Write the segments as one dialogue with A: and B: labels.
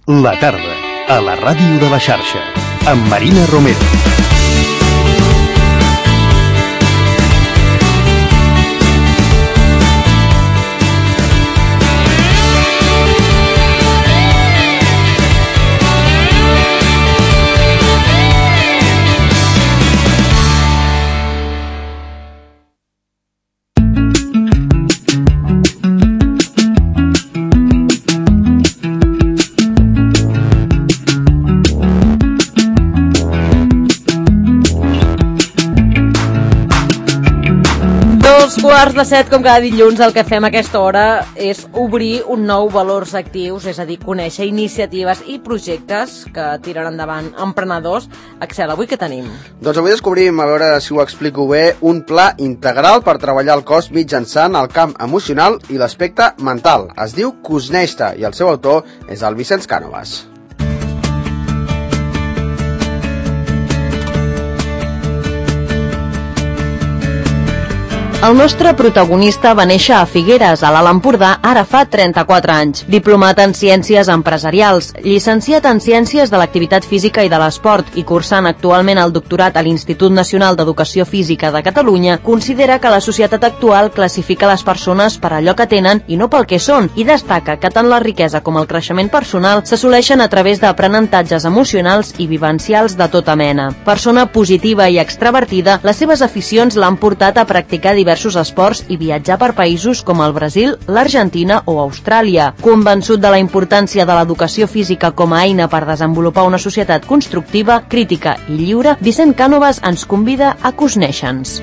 A: La tarda, a la ràdio de la xarxa, amb Marina Romero.
B: Quarts de 7, com cada dilluns, el que fem a aquesta hora és obrir un nou Valors Actius, és a dir, conèixer iniciatives i projectes que tiren endavant emprenedors. Axel, avui què tenim?
C: Doncs avui descobrim, a veure si ho explico bé, un pla integral per treballar el cos mitjançant el camp emocional i l'aspecte mental. Es diu Cosneixta i el seu autor és el Vicenç Cànovas.
B: El nostre protagonista va néixer a Figueres, a l'Alt Empordà, ara fa 34 anys. Diplomat en Ciències Empresarials, llicenciat en Ciències de l'Activitat Física i de l'Esport i cursant actualment el doctorat a l'Institut Nacional d'Educació Física de Catalunya, considera que la societat actual classifica les persones per allò que tenen i no pel que són, i destaca que tant la riquesa com el creixement personal s'assoleixen a través d'aprenentatges emocionals i vivencials de tota mena. Persona positiva i extravertida, les seves aficions l'han portat a practicar diversos esports i viatjar per països com el Brasil, l'Argentina o Austràlia. Convençut de la importància de l'educació física com a eina per desenvolupar una societat constructiva, crítica i lliure, Vicenç Cànovas ens convida a Cosneixen-nos.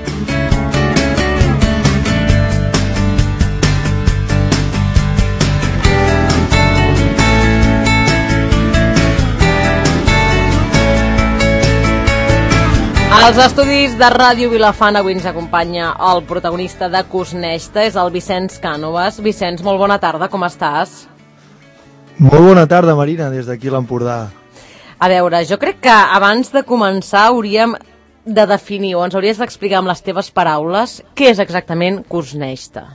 B: Als estudis de Ràdio Vilafant avui ens acompanya el protagonista de Cosneixta, és el Vicenç Cànovas. Vicenç, molt bona tarda, com estàs?
D: Molt bona tarda, Marina, des d'aquí a l'Empordà.
B: A veure, jo crec que abans de començar hauríem de definir, o ens hauries d'explicar amb les teves paraules, què és exactament Cosneixta.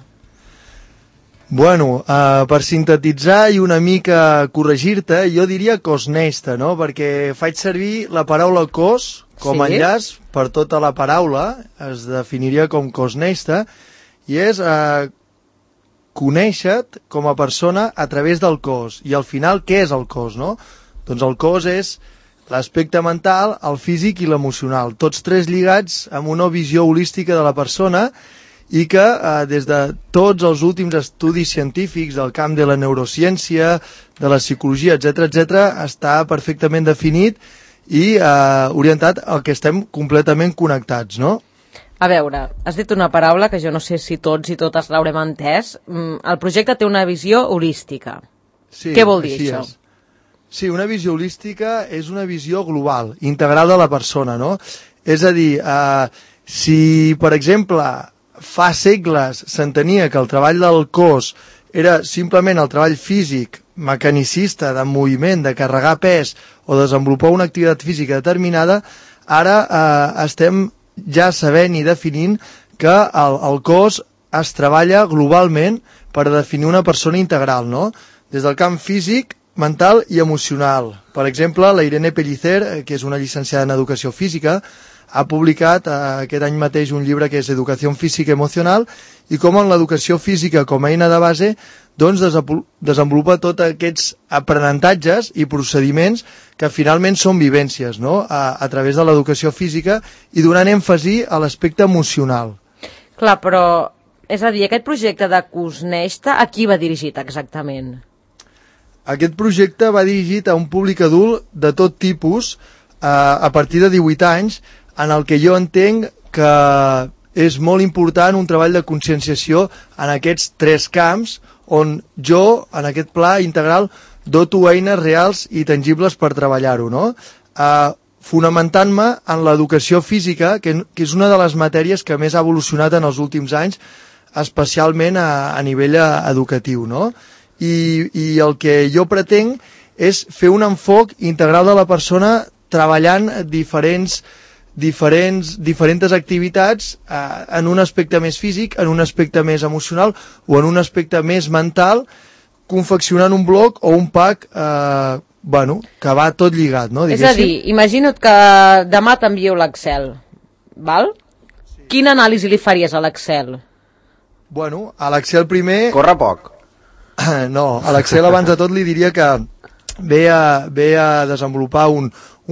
D: Bueno, per sintetitzar i una mica corregir-te, jo diria Cosneixta, no? Perquè faig servir la paraula cos com a enllaç per tota la paraula, es definiria com Cosneixta, i és conèixer-te com a persona a través del cos. I al final, què és el cos, no? Doncs el cos és l'aspecte mental, el físic i l'emocional, tots tres lligats amb una visió holística de la persona i que des de tots els últims estudis científics del camp de la neurociència, de la psicologia, etc., està perfectament definit i orientat al que estem completament connectats, no?
B: A veure, has dit una paraula que jo no sé si tots i totes l'haurem entès. El projecte té una visió holística.
D: Sí,
B: què vol dir això?
D: Sí, una visió holística és una visió global, integral de la persona, no? És a dir, si, per exemple, fa segles s'entenia que el treball del cos era simplement el treball físic, mecanicista, de moviment, de carregar pes o desenvolupar una activitat física determinada, ara estem ja sabent i definint que el cos es treballa globalment per definir una persona integral, no? Des del camp físic, mental i emocional. Per exemple, la Irene Pellicer, que és una llicenciada en Educació Física, ha publicat aquest any mateix un llibre que és Educació Física Emocional i com en l'educació física com a eina de base doncs desenvolupa tots aquests aprenentatges i procediments que finalment són vivències, no? A través de l'educació física i donant èmfasi a l'aspecte emocional.
B: Clar, però, és a dir, aquest projecte de Cosneixta a qui va dirigit exactament?
D: Aquest projecte va dirigit a un públic adult de tot tipus a partir de 18 anys, en el que jo entenc que és molt important un treball de conscienciació en aquests tres camps on jo, en aquest pla integral, doto eines reals i tangibles per treballar-ho, no? Fonamentant-me en l'educació física, que és una de les matèries que més ha evolucionat en els últims anys, especialment a nivell educatiu, no? I el que jo pretenc és fer un enfoc integral de la persona treballant diferents activitats en un aspecte més físic, en un aspecte més emocional o en un aspecte més mental, confeccionant un bloc o un pack bueno, que va tot lligat, no?
B: És a dir, imagina't que demà t'envieu l'Excel, val? Sí. Quina anàlisi li faries a l'Excel?
D: Bueno, a l'Excel primer...
C: Corre poc.
D: No, a l'Excel abans de tot li diria que ve a desenvolupar un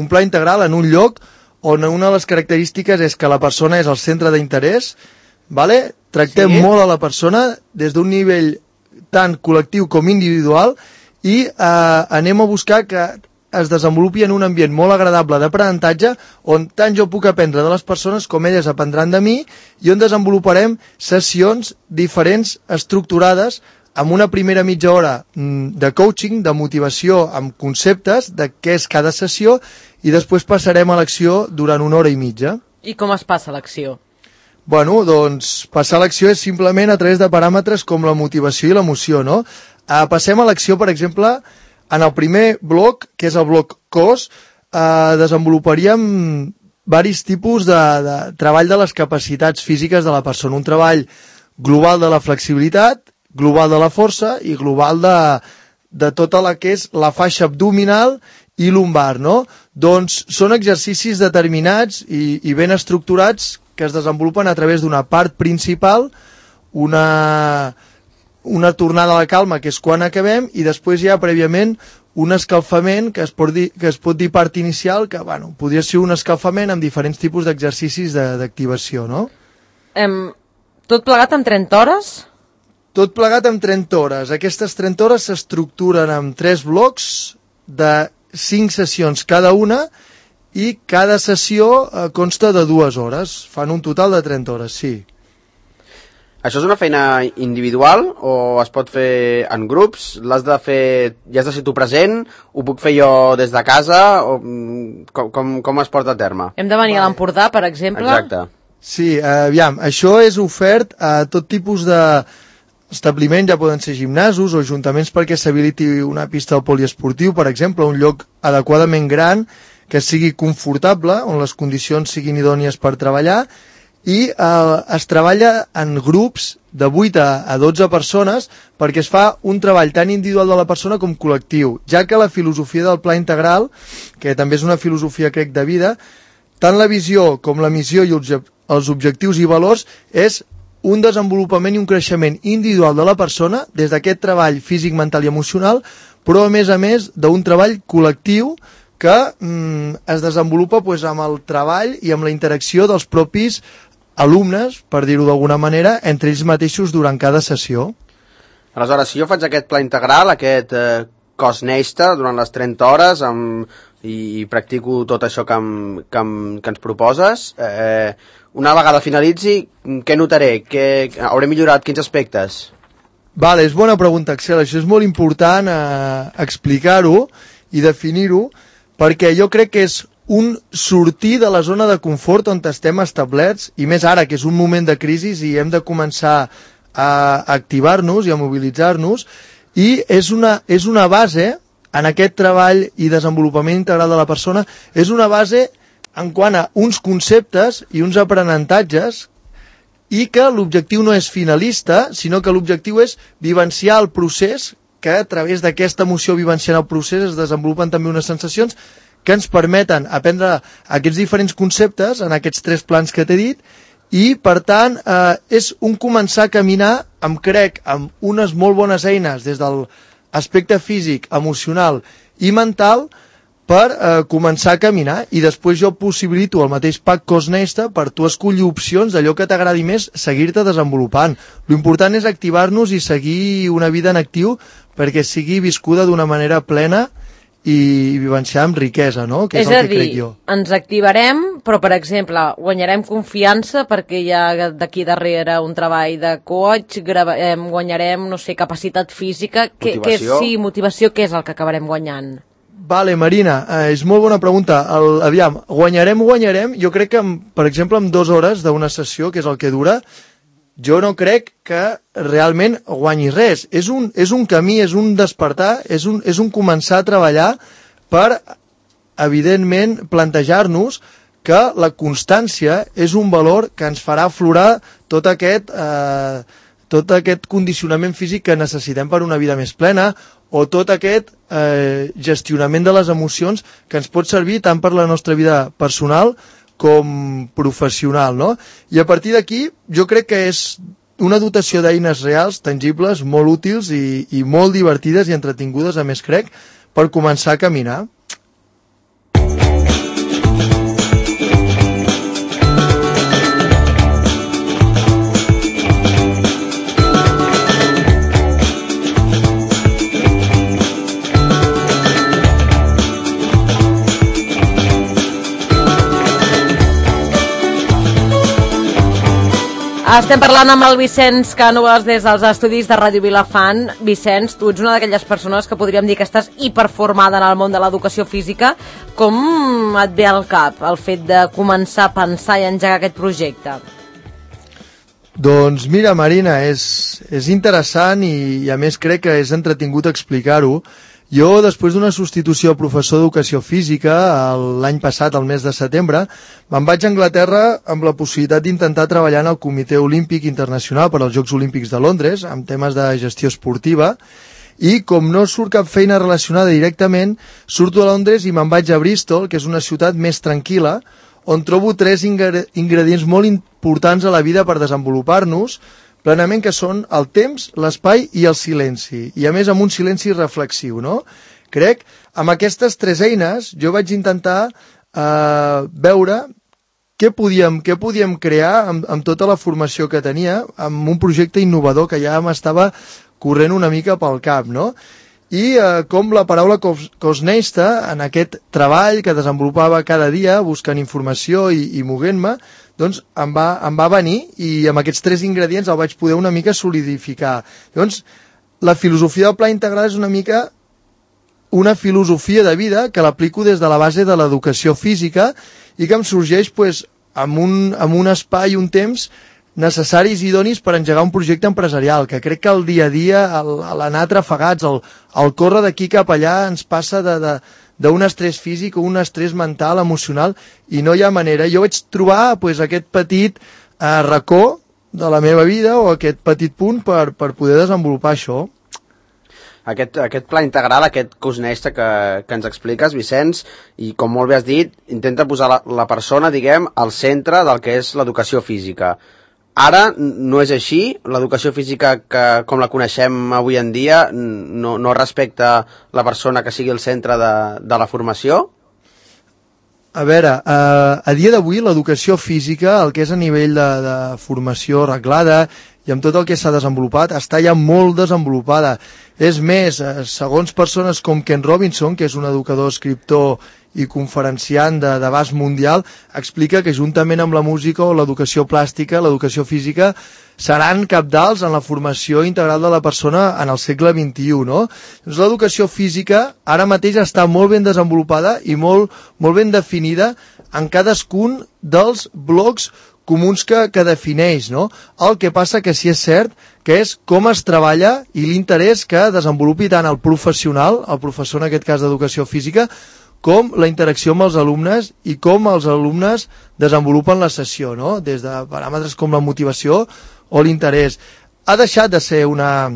D: pla integral en un lloc on una de les característiques és que la persona és el centre d'interès, vale? Tractem molt a la persona des d'un nivell tant col·lectiu com individual i anem a buscar que es desenvolupi en un ambient molt agradable d'aprenentatge on tant jo puc aprendre de les persones com elles aprendran de mi i on desenvoluparem sessions diferents estructurades amb una primera mitja hora de coaching, de motivació amb conceptes de què és cada sessió i després passarem a l'acció durant 1 hora i mitja.
B: I com es passa l'acció?
D: Bueno, doncs passar a l'acció és simplement a través de paràmetres com la motivació i l'emoció, no? Passem a l'acció, per exemple, en el primer bloc, que és el bloc cos, desenvoluparíem varis tipus de treball de les capacitats físiques de la persona. Un treball global de la flexibilitat, global de la força i global de tota la que és la faixa abdominal i lumbar, no? Doncs són exercicis determinats i ben estructurats que es desenvolupen a través d'una part principal, una tornada a la calma, que és quan acabem, i després hi ha prèviament un escalfament que es pot dir part inicial, que bueno, podria ser un escalfament amb diferents tipus d'exercicis d'activació, no?
B: Tot plegat en 30 hores?
D: Tot plegat en 30 hores. Aquestes 30 hores s'estructuren en 3 blocs de 5 sessions cada una i cada sessió consta de 2 hores. Fan un total de 30 hores, sí.
C: Això és una feina individual o es pot fer en grups? L'has de fer, ja has de ser tu present? Ho puc fer jo des de casa? O com es porta a terme?
B: Hem de venir a l'Empordà, per exemple?
C: Exacte.
D: Sí, aviam, això és ofert a tot tipus d'establiments, ja poden ser gimnasos o ajuntaments perquè s'habiliti una pista de poliesportiu, per exemple, un lloc adequadament gran que sigui confortable, on les condicions siguin idònies per treballar, i es treballa en grups de 8 a 12 persones perquè es fa un treball tant individual de la persona com col·lectiu, ja que la filosofia del pla integral, que també és una filosofia, crec, de vida, tant la visió com la missió i els objectius i valors és un desenvolupament i un creixement individual de la persona des d'aquest treball físic, mental i emocional, però a més d'un treball col·lectiu que es desenvolupa amb el treball i amb la interacció dels propis alumnes, per dir-ho d'alguna manera, entre ells mateixos durant cada sessió.
C: Aleshores, si jo faig aquest pla integral, aquest cos Neista, durant les 30 hores i practico tot això que ens proposes, una vegada finalitzi, què notaré? Hauré millorat quins aspectes?
D: Vale, és bona pregunta, Axel. Això és molt important explicar-ho i definir-ho, perquè jo crec que és un sortir de la zona de confort on estem establerts, i més ara, que és un moment de crisi i hem de començar a activar-nos i a mobilitzar-nos, i és una base en aquest treball i desenvolupament integral de la persona, és una base en quant a uns conceptes i uns aprenentatges, i que l'objectiu no és finalista, sinó que l'objectiu és vivenciar el procés, que a través d'aquesta emoció vivenciant el procés es desenvolupen també unes sensacions que ens permeten aprendre aquests diferents conceptes en aquests 3 plans que t'he dit, i per tant és un començar a caminar crec amb unes molt bones eines des de l'aspecte físic, emocional i mental per començar a caminar, i després jo possibilito el mateix pack cos Neista per tu escollir opcions d'allò que t'agradi més, seguir-te desenvolupant. L'important és activar-nos i seguir una vida en actiu perquè sigui viscuda d'una manera plena i vivenciar amb riquesa, no? Que és el que crec jo.
B: Ens activarem, però, per exemple, guanyarem confiança perquè hi ha d'aquí darrere un treball de coach, guanyarem, no sé, capacitat física, motivació, què és el que acabarem guanyant?
D: Vale, Marina, és molt bona pregunta. Aviam, guanyarem, jo crec que, per exemple, en 2 hores d'una sessió, que és el que dura, jo no crec que realment guanyi res. És un camí, és un despertar, és un començar a treballar per, evidentment, plantejar-nos que la constància és un valor que ens farà aflorar tot aquest tot aquest condicionament físic que necessitem per una vida més plena, o tot aquest gestionament de les emocions que ens pot servir tant per la nostra vida personal com professional, no? I a partir d'aquí jo crec que és una dotació d'eines reals, tangibles, molt útils i molt divertides i entretingudes, a més crec, per començar a caminar.
B: Estem parlant amb el Vicenç Cànovas des dels estudis de Ràdio Vilafant. Vicenç, tu ets una d'aquelles persones que podríem dir que estàs hiperformada en el món de l'educació física. Com et ve al cap el fet de començar a pensar i engegar aquest projecte?
D: Doncs mira, Marina, és interessant i a més crec que és entretingut explicar-ho. Jo, després d'una substitució a professor d'educació física l'any passat, al mes de setembre, me'n vaig a Anglaterra amb la possibilitat d'intentar treballar en el Comitè Olímpic Internacional per als Jocs Olímpics de Londres, amb temes de gestió esportiva, i com no surt cap feina relacionada directament, surto a Londres i me'n vaig a Bristol, que és una ciutat més tranquil·la, on trobo 3 ingredients molt importants a la vida per desenvolupar-nos, plenament, que són el temps, l'espai i el silenci, i a més amb un silenci reflexiu, no? Crec, amb aquestes 3 eines jo vaig intentar veure què podíem crear amb tota la formació que tenia, amb un projecte innovador que ja m'estava corrent una mica pel cap, no? I com la paraula Cosneista, en aquest treball que desenvolupava cada dia, buscant informació i movent-me, doncs em va venir i amb aquests 3 ingredients el vaig poder una mica solidificar. Llavors, la filosofia del pla integral és una mica una filosofia de vida que l'aplico des de la base de l'educació física i que em sorgeix amb un espai i un temps necessaris i idonis per engegar un projecte empresarial, que crec que el dia a dia, l'anar trafegats, el córrer d'aquí cap allà ens passa d'un estrès físic o un estrès mental, emocional, i no hi ha manera. Jo vaig trobar aquest petit racó de la meva vida o aquest petit punt per poder desenvolupar això.
C: Aquest pla integral, aquest Cosneista que ens expliques, Vicenç, i com molt bé has dit, intenta posar la persona, diguem, al centre del que és l'educació física. Ara no és així, l'educació física com la coneixem avui en dia no respecta la persona que sigui el centre de la formació?
D: A veure, a dia d'avui l'educació física, el que és a nivell de formació reglada i amb tot el que s'ha desenvolupat, està ja molt desenvolupada. És més, segons persones com Ken Robinson, que és un educador, escriptor i conferenciant d'abast mundial, explica que juntament amb la música o l'educació plàstica, l'educació física, seran cabdals en la formació integral de la persona en el segle XXI, no? Doncs l'educació física ara mateix està molt ben desenvolupada i molt ben definida en cadascun dels blocs comuns que defineix, no? El que passa que sí és cert que és com es treballa i l'interès que desenvolupi tant el professional, el professor en aquest cas d'educació física, com la interacció amb els alumnes i com els alumnes desenvolupen la sessió, no? Des de paràmetres com la motivació o l'interès. Ha deixat de ser una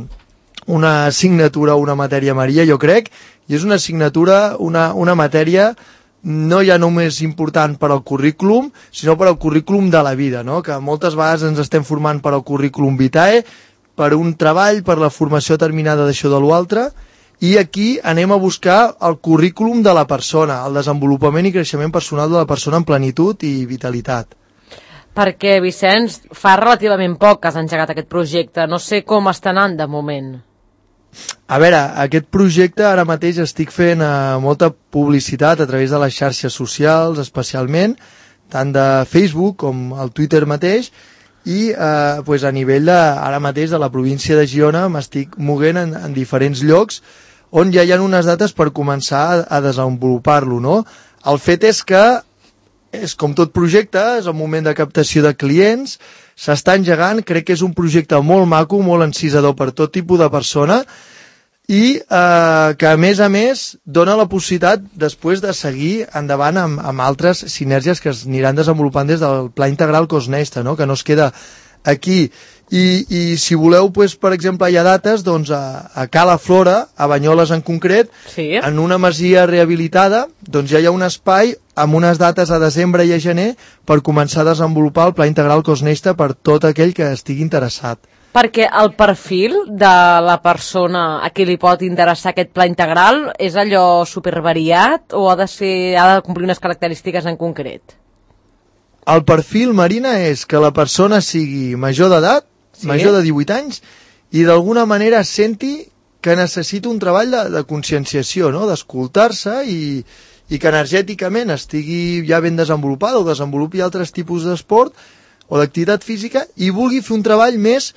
D: assignatura o una matèria Maria, jo crec, i és una assignatura, una matèria no ja només important per al currículum, sinó per al currículum de la vida, no? Que moltes vegades ens estem formant per al currículum vitae, per un treball, per la formació terminada d'això de l'altre, i aquí anem a buscar el currículum de la persona, el desenvolupament i creixement personal de la persona en plenitud i vitalitat.
B: Perquè, Vicenç, fa relativament poc que has engegat aquest projecte. No sé com està anant de moment.
D: A veure, aquest projecte ara mateix estic fent molta publicitat a través de les xarxes socials, especialment, tant de Facebook com el Twitter mateix, i a nivell ara mateix de la província de Girona m'estic moguent en diferents llocs on ja hi ha unes dates per començar a desenvolupar-lo, no? El fet és que és com tot projecte, és el moment de captació de clients, s'està engegant, crec que és un projecte molt maco, molt encisador per tot tipus de persona i que a més dona la possibilitat després de seguir endavant amb altres sinergies que es aniran desenvolupant des del pla integral Cosneista, no? Que no es queda aquí. I si voleu, doncs, per exemple, hi ha dates doncs, a Cala Flora, a Banyoles en concret,
B: sí.
D: En una masia rehabilitada, doncs ja hi ha un espai amb unes dates a desembre i a gener per començar a desenvolupar el Pla Integral Cos Nesta per tot aquell que estigui interessat.
B: Perquè el perfil de la persona a qui li pot interessar aquest pla integral és allò supervariat o ha de complir unes característiques en concret?
D: El perfil, Marina, és que la persona sigui major d'edat, major de 18 anys, i d'alguna manera senti que necessita un treball de conscienciació, no? D'escoltar-se i que energèticament estigui ja ben desenvolupada o desenvolupi altres tipus d'esport o d'activitat física i vulgui fer un treball més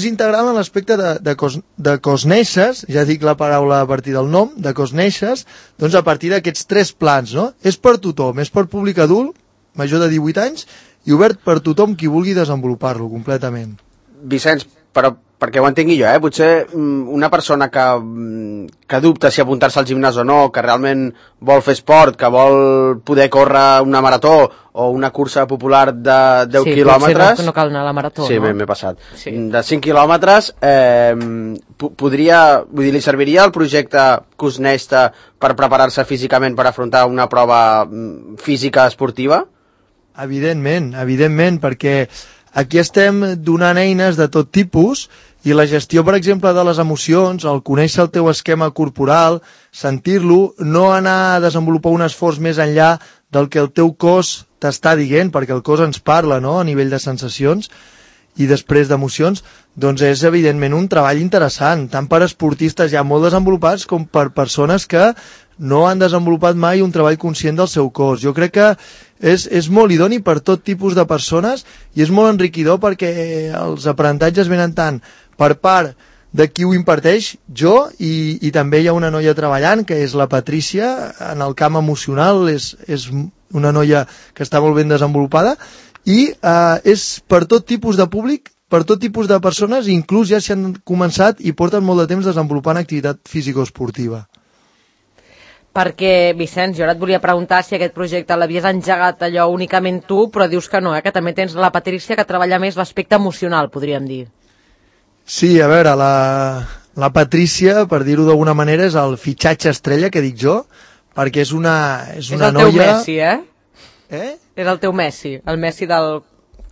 D: integral en l'aspecte de cosneixes, ja dic la paraula a partir del nom, de cosneixes, doncs a partir d'aquests 3 plans, no? És per tothom, és per públic adult, major de 18 anys, i obert per tothom qui vulgui desenvolupar-lo completament.
C: Vicenç, però perquè ho entengui jo, potser una persona que dubta si apuntar-se al gimnàs o no, que realment vol fer esport, que vol poder córrer una marató o una cursa popular de 10 quilòmetres...
B: Sí, no cal anar a la marató,
C: sí,
B: no?
C: m'he passat.
B: Sí.
C: De 5 quilòmetres, li serviria el projecte Cos Nesta per preparar-se físicament per afrontar una prova física esportiva?
D: Evidentment, perquè aquí estem donant eines de tot tipus i la gestió, per exemple, de les emocions, el conèixer el teu esquema corporal, sentir-lo, no anar a desenvolupar un esforç més enllà del que el teu cos t'està dient, perquè el cos ens parla, no?, a nivell de sensacions i després d'emocions, doncs és evidentment un treball interessant, tant per esportistes ja molt desenvolupats com per persones que no han desenvolupat mai un treball conscient del seu cos. Jo crec que és molt idoni per tot tipus de persones i és molt enriquidor perquè els aprenentatges venen tant per part de qui ho imparteix, jo, i també hi ha una noia treballant, que és la Patrícia, en el camp emocional, és una noia que està molt ben desenvolupada, i és per tot tipus de públic, per tot tipus de persones, inclús ja s'hi han començat i porten molt de temps desenvolupant activitat físico-esportiva.
B: Perquè, Vicenç, jo ara et volia preguntar si aquest projecte l'havies engegat allò únicament tu, però dius que no, que també tens la Patrícia que treballa més l'aspecte emocional, podríem dir.
D: Sí, a veure, la Patrícia, per dir-ho d'alguna manera, és el fitxatge estrella, que dic jo, perquè és una noia...
B: És el teu Messi,
D: Eh?
B: És el teu Messi, el Messi del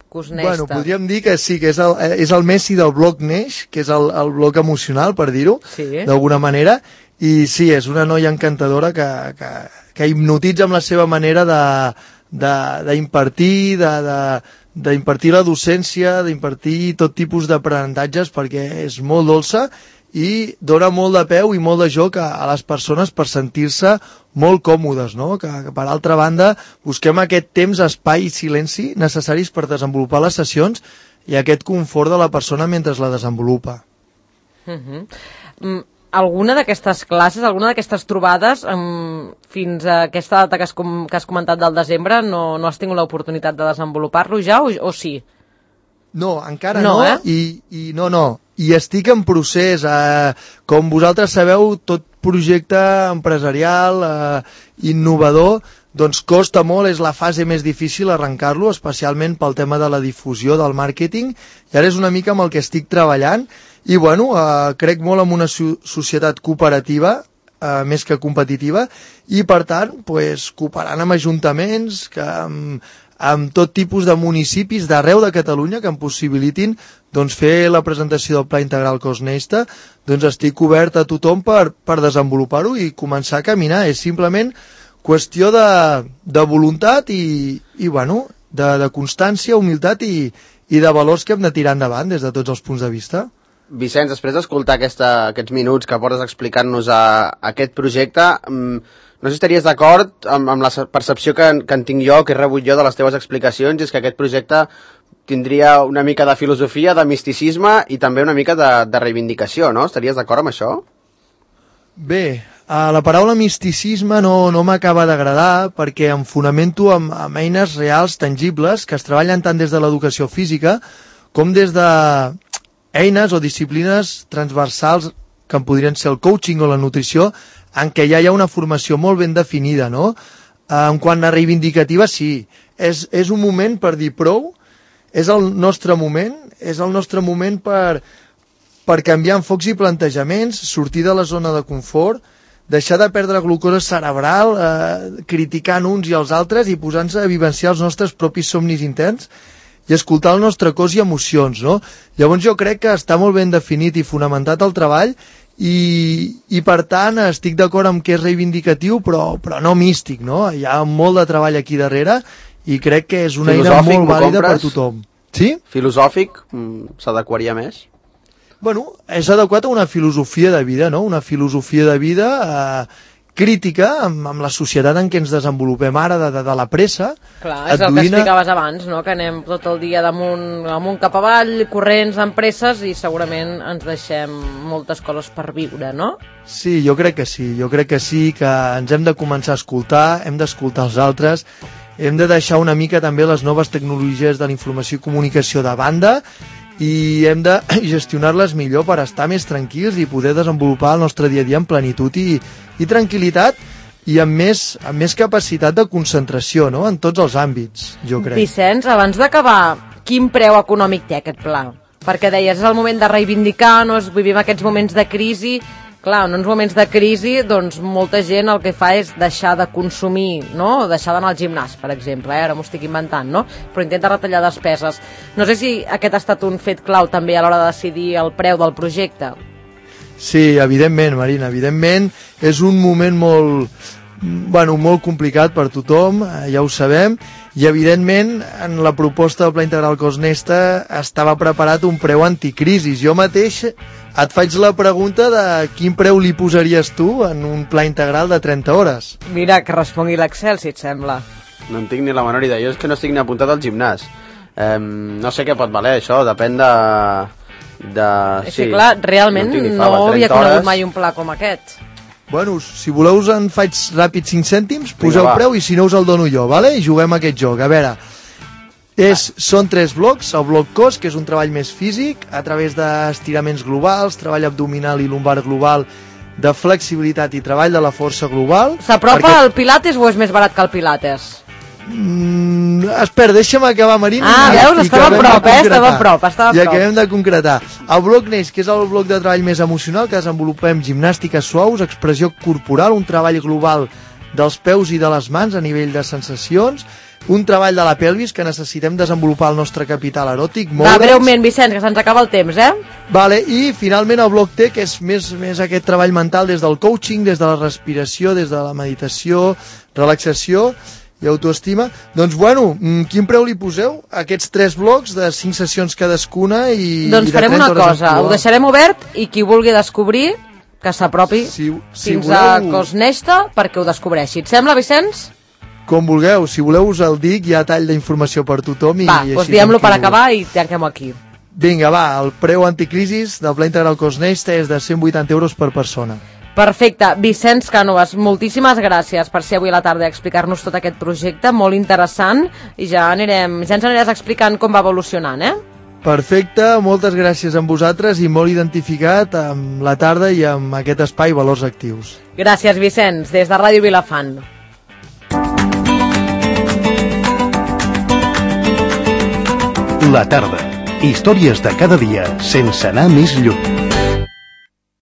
B: Cos Nesta.
D: Bueno, podríem dir que sí, que és el Messi del bloc Neix, que és el bloc emocional, per dir-ho, d'alguna manera, i sí, és una noia encantadora que hipnotitza amb la seva manera d'impartir, d'impartir la docència, d'impartir tot tipus d'aprenentatges, perquè és molt dolça i dona molt de peu i molt de joc a les persones per sentir-se molt còmodes, no? Que per altra banda busquem aquest temps, espai i silenci necessaris per desenvolupar les sessions i aquest confort de la persona mentre la desenvolupa.
B: Alguna d'aquestes classes, alguna d'aquestes trobades, fins a aquesta data que has comentat del desembre, no has tingut l'oportunitat de desenvolupar-lo ja o sí?
D: No, encara no, i estic en procés. Com vosaltres sabeu, tot projecte empresarial, innovador, doncs costa molt, és la fase més difícil arrencar-lo, especialment pel tema de la difusió del màrqueting, i ara és una mica amb el que estic treballant, i bueno, crec molt en una societat cooperativa, més que competitiva, i per tant, cooperant amb ajuntaments, amb tot tipus de municipis d'arreu de Catalunya que em possibilitin fer la presentació del Pla Integral Cos Nesta, doncs estic obert a tothom per desenvolupar-ho i començar a caminar. És simplement qüestió de voluntat i de constància, humilitat i de valors que hem de tirar endavant des de tots els punts de vista.
C: Vicenç, després d'escoltar aquests minuts que portes explicant-nos aquest projecte, no sé si estaries d'acord amb la percepció que en tinc jo, que he rebut jo de les teves explicacions, és que aquest projecte tindria una mica de filosofia, de misticisme i també una mica de reivindicació, no? Estaries d'acord amb això?
D: Bé, la paraula misticisme no m'acaba d'agradar perquè em fonamento amb eines reals, tangibles, que es treballen tant des de l'educació física com des de eines o disciplines transversals que podrien ser el coaching o la nutrició, en què ja hi ha una formació molt ben definida, no? En quant a reivindicativa, sí. És un moment per dir prou, és el nostre moment per canviar enfocs i plantejaments, sortir de la zona de confort, deixar de perdre glucosa cerebral, criticant uns i els altres i posant-se a vivenciar els nostres propis somnis interns i escoltar el nostre cos i emocions, no? Llavors jo crec que està molt ben definit i fonamentat el treball i per tant estic d'acord amb que és reivindicatiu però no místic, no? Hi ha molt de treball aquí darrere i crec que és una eina molt vàlida per tothom. Sí?
C: Filosòfic, s'adequaria més?
D: Bueno, és adequat a una filosofia de vida, no? Una filosofia de vida crítica amb la societat en què ens desenvolupem ara de la pressa.
E: Clar, és el que explicaves abans, no? Que anem tot el dia amunt cap avall, corrents, amb presses, i segurament ens deixem moltes coses per viure, no?
D: Sí, jo crec que sí, que ens hem de començar a escoltar, hem d'escoltar els altres, hem de deixar una mica també les noves tecnologies de la informació i comunicació de banda i hem de gestionar-les millor per estar més tranquils i poder desenvolupar el nostre dia a dia en plenitud i tranquil·litat i amb més capacitat de concentració, no? En tots els àmbits, jo crec.
E: Vicenç, abans d'acabar, quin preu econòmic té aquest pla? Perquè deies, és el moment de reivindicar, no? Vivim aquests moments de crisi. Clar, en uns moments de crisi, doncs molta gent el que fa és deixar de consumir, no? O deixar d'anar al gimnàs, per exemple, ara m'ho estic inventant, no? Però intenta retallar despeses. No sé si aquest ha estat un fet clau també a l'hora de decidir el preu del projecte.
D: Sí, evidentment, Marina, evidentment. És un moment molt complicat per tothom, ja ho sabem, i evidentment en la proposta del Pla Integral Cosnesta estava preparat un preu anticrisis. Jo mateix et faig la pregunta de quin preu li posaries tu en un pla integral de 30 hores.
E: Mira, que respongui l'Excel, si et sembla.
C: No en tinc ni la menor idea, jo és que no estic ni apuntat al gimnàs. No sé què pot valer això, depèn de...
E: És que clar, realment no havia conegut mai un pla com aquest.
D: Bueno, si voleu en faig ràpid 5 cèntims, poseu preu i si no us el dono jo, vale? I juguem a aquest joc. A veure, són 3 blocs. El bloc cos, que és un treball més físic, a través d'estiraments globals, treball abdominal i lumbar global, de flexibilitat i treball de la força global.
E: S'apropa al Pilates o és més barat que el Pilates?
D: Espera, deixa'm acabar, Marina.
E: Veus, estava a prop.
D: I acabem de concretar. El bloc neix, que és el bloc de treball més emocional, que desenvolupem gimnàstiques suaus, expressió corporal, un treball global dels peus i de les mans a nivell de sensacions, un treball de la pelvis, que necessitem desenvolupar el nostre capital eròtic.
E: Va, breument, Vicenç, que se'ns acaba el temps,
D: Vale, i finalment el bloc T, que és més aquest treball mental des del coaching, des de la respiració, des de la meditació, relaxació i autoestima. Doncs bueno, quin preu li poseu a aquests 3 blocs de 5 sessions cadascuna i
E: doncs farem una cosa, ho deixarem obert i qui vulgui descobrir que s'apropi fins a Cosnesta perquè ho descobreixi. Et sembla, Vicenç?
D: Com vulgueu, si voleu us el dic, hi ha tall d'informació per tothom.
E: Va, doncs diem-lo per acabar i tanquem aquí.
D: Vinga, va, el preu anticrisis del Pla Integral Cosnesta és de 180 euros per persona.
E: Perfecte. Vicenç Cànovas, moltíssimes gràcies per ser avui a la tarda a explicar-nos tot aquest projecte, molt interessant, i ja ens aniràs explicant com va evolucionant,
D: Perfecte, moltes gràcies a vosaltres i molt identificat amb la tarda i amb aquest espai Valors Actius.
E: Gràcies, Vicenç, des de Ràdio Vilafant.
A: La tarda. Històries de cada dia sense anar més lluny.